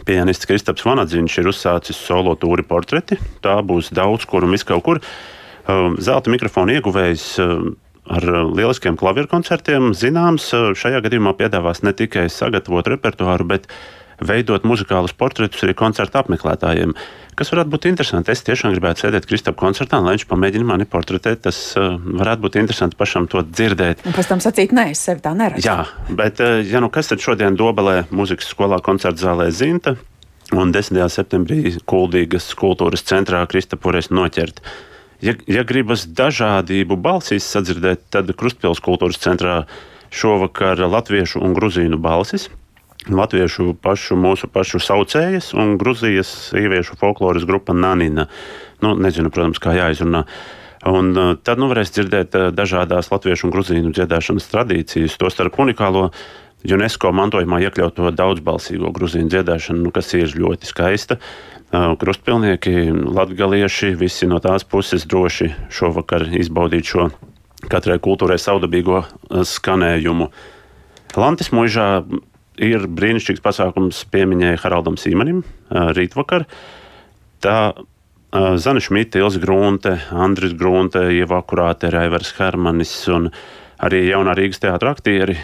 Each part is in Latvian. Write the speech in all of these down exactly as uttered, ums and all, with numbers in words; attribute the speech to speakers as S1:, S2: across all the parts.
S1: Pianists Kristaps Vanadziņš ir uzsācis solo tūri Portreti. Tā būs daudz kur un viss kaut kur. Zelta mikrofona ieguvējs ar lieliskiem klavieru koncertiem zināms šajā gadījumā piedāvās ne tikai sagatavot repertuāru, bet veidot muzikālus portretus arī koncertu apmeklētājiem. Kas varētu būt interesanti? Es tiešām gribētu sēdēt Kristapa koncertā, lai viņš pamēģina mani portretēt. Tas uh, varētu būt interesanti pašam to dzirdēt.
S2: Un pēc tam sacīt, nē, es sevi tā neredzu.
S1: Jā, bet uh, ja nu kas tad šodien Dobelē muzikas skolā koncerta zālē Zinta un desmitajā septembrī Kuldīgas kultūras centrā Kristapu varēs noķert. Ja, ja gribas dažādību balsīs sadzirdēt, tad Krustpils kultūras centrā šovakar latviešu un gruzīnu balsis. Latviešu pašu, mūsu pašu saucējas un Gruzijas sieviešu folkloras grupa Nanina. Nu, nezinu, protams, kā jāizrunā. Un uh, tad nu varēs dzirdēt uh, dažādās latviešu un gruzīnu dziedāšanas tradīcijas, to starp unikālo UNESCO mantojumā iekļauto daudzbalsīgo gruzīnu dziedāšanu, nu, kas ir ļoti skaista. Uh, krustpilnieki, latgalieši, visi no tās puses droši šovakar izbaudīt šo katrai kultūrai saudabīgo uh, skanējumu. Lantis Muižā ir brīnišķīgs pasākums piemiņai Haraldam Sīmanim rītvakar. Tā Zana Šmita, Ilze Grunte, Andris Grunte, Ieva Akurāte, Raivers Hermanis un arī jaunā Rīgas teātra aktieri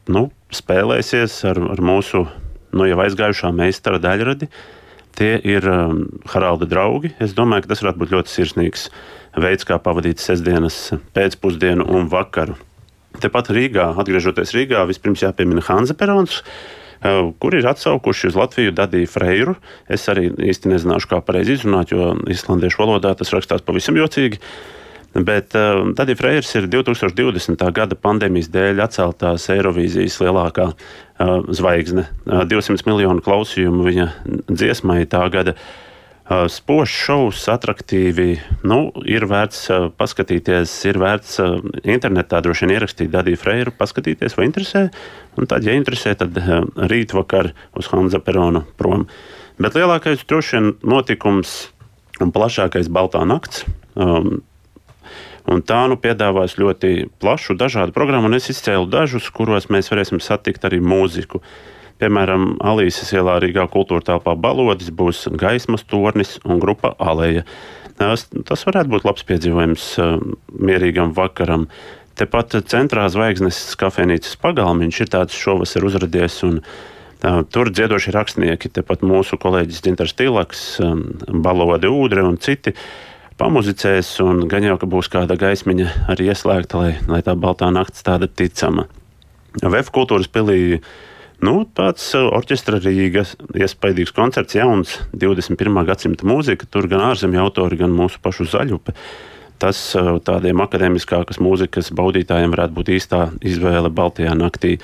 S1: nu, spēlēsies ar, ar mūsu nu, jau aizgājušā meistara daļradi. Tie ir um, Haralda draugi. Es domāju, ka tas varētu būt ļoti sirsnīgs veids, kā pavadīt sestdienas pēcpusdienu un vakaru. Tepat Rīgā, atgriežoties Rīgā, vispirms jāpiemina Hanza Perons, kur ir atsaukuši uz Latviju Dadiju Freiru. Es arī īsti nezināšu, kā pareizi izrunāt, jo islandiešu valodā tas rakstās pavisam jocīgi. Bet uh, Dadija Freirs ir divtūkstoš divdesmitā gada pandēmijas dēļ atceltās Eirovīzijas lielākā uh, zvaigzne. Uh, divsimt miljonu klausījumu viņa dziesmai tā gada. Uh, spožs šovs, atraktīvi, nu, ir vērts uh, paskatīties, ir vērts uh, internetā droši vien ierakstīt Dadiju Freiru, paskatīties, vai interesē, un tad, ja interesē, tad uh, rītvakar uz Hanza Perona prom. Bet lielākais droši vien notikums un plašākais Baltā nakts, um, un tā nu piedāvās ļoti plašu dažādu programmu, un es izcēlu dažus, kuros mēs varēsim satikt arī mūziku. Piemēram, Alīses ielā Rīgā kultūra telpā Balodis būs Gaismas tornis un grupa Aleja. Tas, tas varētu būt labs piedzīvojums uh, mierīgam vakaram. Tepat centrā Zvaigznes kafejnīcas pagalmiņš ir tāds šovasar uzradies, un uh, tur dziedoši rakstnieki, tepat mūsu kolēģis Dzintars Tīlaks, um, Balode Ūdre un citi pamuzicēs, un gan jau, ka būs kāda gaismiņa arī ieslēgta, lai, lai tā Baltā nakts tāda ticama. V F kultūras pilī Nu, tāds orķestra Rīga, iespaidīgs koncerts, jauns divdesmit pirmā gadsimta mūzika, tur gan ārzemju autori, gan mūsu pašu Zaļupe. Tas tādiem akadēmiskākas mūzikas baudītājiem varētu būt īstā izvēle Baltajā naktī.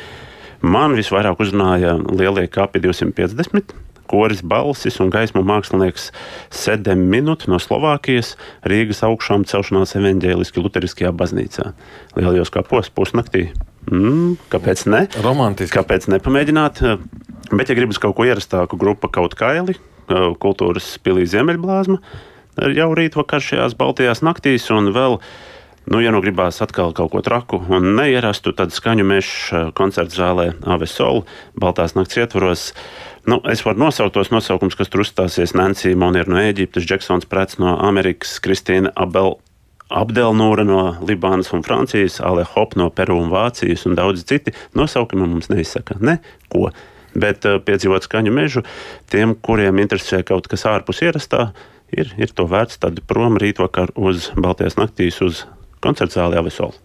S1: Man visvairāk uzrunāja lielie kapi divsimt piecdesmit, koris Balsis un gaismu mākslinieks Sedem Minut no Slovākijas, Rīgas augšām celšanās evaņģēliski luteriskajā baznīcā. Lielajos kapos pusnaktī. Mm, kāpēc ne?
S3: Romantiski.
S1: Kāpēc nepamēģināt? Bet, ja gribas kaut ko ierastāku, grupa Kaut kaili, kultūras pilī Ziemeļblāzma, jau rītvakar šajās Baltajās naktīs, un vēl, nu, ja nu gribās atkal kaut ko traku un neierastu, tad Skaņu mežs koncerta zālē Ave Sol, Baltās nakts ietvaros. Nu, es varu nosaukt tos nosaukums, kas tur uzstāsies: Nancy Monier no Ēģiptes, Džeksons Prets no Amerikas, Kristīna Abel Abdelnūra no Libānas un Francijas, Ale Hop no Peru un Vācijas un daudzi citi. Nosaukumi mums neizsaka neko, bet uh, piedzīvot Skaņu mežu, tiem, kuriem interesē kaut kas ārpus ierastā, ir, ir to vērts tad prom rītvakar uz Baltajās naktīs uz koncerta zāli Ave Sol.